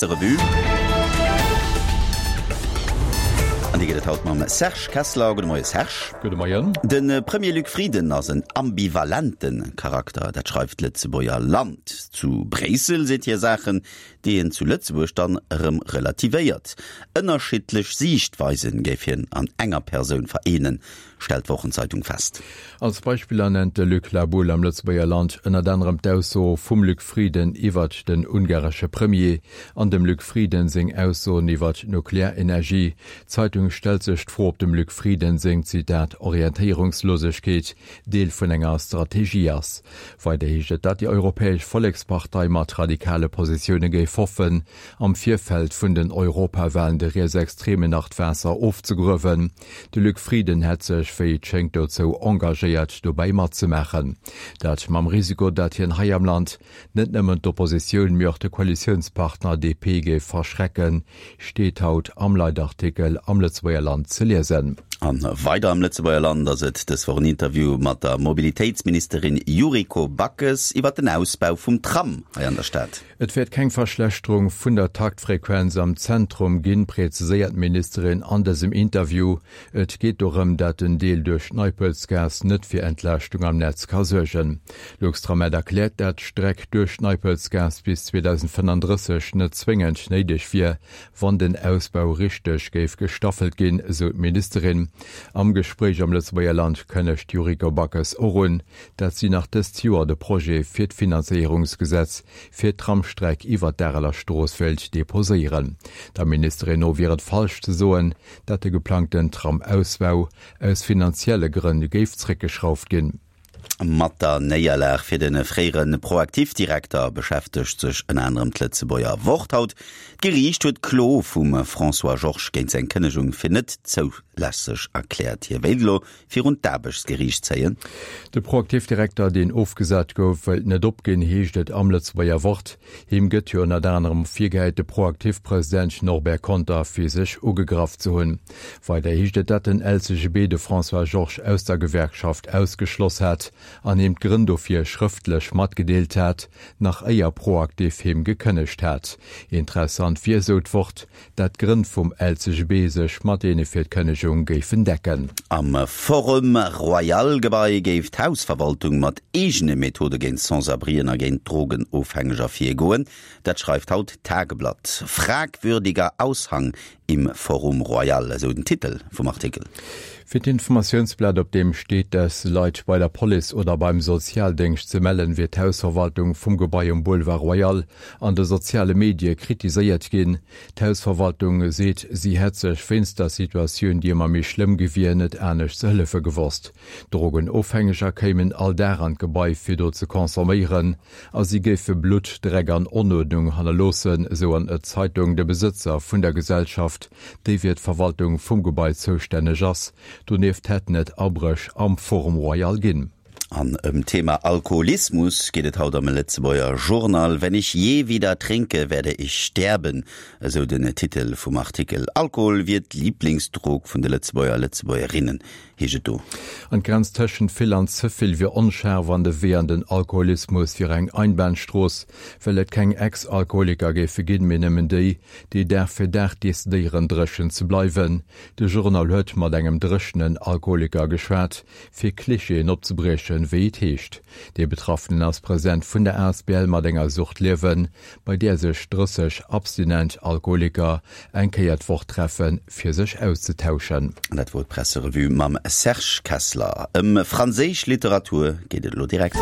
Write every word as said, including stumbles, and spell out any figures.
Revue. An déi gëtt et haut mam Serge Kessler. Gudde Moie Serge. Gudde Moien. De Premier Luc Frieden ass en ambivalente Charakter, dat schreift d'Lëtzebuerger Land. Zu Bréissel seet hie Saachen, déi en zu Lëtzebuerg dann erëm relativéiert. Ënnerschiddlech Siichtweisen géif hien an enger Persoun vereenen, stellt d'Wochenzeitung fest. Als Beispiller nennt de Luc La Boule am Lëtzebuerger Land ënnert anerem d'Ausso vum Luc Frieden iwwert den ungaresche Premier an dem Luc Frieden seng Aussoen iwwert d'Nuklearenergie. D'Zeitung stellt sech d'Fro, ob dem Luc Frieden seng, Zitat, Orientéierungslosegkeet Deel vun enger Strategie ass. Weider heescht et, datt déi Europäesch Vollekspartei mat radikale Positioune géif hoffen, am Virfeld vun den Europawalen de Rietsextremen nach d'Waasser ofzegruewen. De Luc Frieden hätt sech, wéi et schéngt, dozou engagéiert, dobäi matzemaachen. Dat mam Risiko, datt hien hei am Land net nëmmen d'Oppositioun, mee och de Koalitiounspartner D P géif verschrecken, steet haut am Leitartikel am Lëtzebuerger Land ze liesen. A weider am Lëtzebuerger Land ass et dës Woch en Interview mat der Mobilitéitsministerin Yuriko Backes iwwer den Ausbau vum Tram hei an der Stad. Et wäert keng Verschlechterung vun der Taktfrequenz am Zentrum ginn, präziséiert d'Ministerin an dësem Interview. Et geet dorëm, dat den Deel duerch d'Neipelzgaass net fir Entlaaschtung am Netz ka suergen. Luxtram erkläert, dat d'Streck duerch d'Neipelzgaass bis zweedausendfënnenddrësseg net zwéngend néideg wier, wann den Ausbau richteg géif gestaffelt ginn, esou d'Ministerin. Am Gespréich am Lëtzebuerger Land kënnegt d'Yuriko Backes och un, dat si nach dëst Joer de Projet fir d'Finanzéierungsgesetz fir d'Tramstreck iwwer d'Areler Strooss wéilt deposéieren. Der Ministerin no wier et falsch ze soen, dat de geplangten Tram-Ausbau aus finanzielle Grënn géif zréckgeschrauft ginn. Mat der Néierlag fir de fréiere ProActif-Direkter beschäftegt sech ënner anerem d'Lëtzebuerger Wort haut. D'Geriicht huet d'Klo vum François Georges géint seng Kënnegung fir net zoulässeg erkläert. Hie wéilt elo virun d'Aarbechtsgeriicht zéien. De ProActif-Direkter, deen ofgesat gouf, wëllt net opginn, heescht et am Lëtzebuerger Wort. Him gëtt jo ënnert anerem virgehäit, de ProActif-President Norbert Conter physesch ugegraff ze hunn. Weider heescht et, datt den L C G B de François Georges aus der Gewerkschaft ausgeschloss hat an him d'Grënn dofir schrëftlech matgedeelt hat, nach éier ProActif him gekënnegt hat. Interessant wier, sou d'Wort, dat d'Grënn vum L C G B sech mat deene fir d'Kënnegung géifen decken. Am Forum Royal Gebai géif d'Hausverwaltung mat eegene Methode géint Sans-abrien a géint Drogenofhängeger virgoen. Dat schreift haut d'Tageblatt. Fragwürdiger Aushang im Forum Royal, esou den Titel vum Artikel. Fir d'Informatiounsblat, op deem steet, dass Leit bei der Police oder beim Sozialdéngscht ze mellen, wier d'Hausverwaltung vum Gebai um Boulevard Royal an de soziale Medie kritiséiert ginn. D'Hausverwaltung seet, si hätt sech wéinst der Situatioun, déi ëmmer méi schlëmm gi wier, net anescht ze hëllefe gewosst. Drogenofhängeger kéimen all Dag an d'Gebai fir do ze consomméieren a si géife Blutt, Dreck an Onuerdnung hannerloossen, esou an d'Zeitung. De Besëtzer vun der Gesellschaft, déi fir d'Verwaltung vum Gebai zoustänneg ass. Donieft hätten et Abréch am Forum Royal ginn. An ëm Thema Alkoholismus geet et haut am Lëtzebuerger Journal. Wenn ich je wieder trinke, werde ich sterben, esou den Titel vum Artikel. Alkohol wier d'Liblingsdrog vun de Lëtzebuerger, Lëtzebuergerinnen, heescht et do. An d'Grenz tëschent vill an ze vill wier onscharf an de Wee an den Alkoholismus wier eng Einbahnstrooss, well et keng Ex-Alkoholiker géife ginn, mee nëmmen déi, déi Dag fir Dag decidéieren, dréchen ze bleiwen. De Journal huet mat engem dréchenen Alkoholiker geschwat, fir Klischeeën opzebriechen, wéi et heescht. De Betraffenen ass President vun der A S B L Mat enger Sucht liewen, bei där sech drësseg abstinent Alkoholiker eng Kéier d'Woch treffen, fir sech auszetauschen. Dat wor d'Presserevue mam Serge Kessler. Ëm franséisch Literatur geet et elo direkt.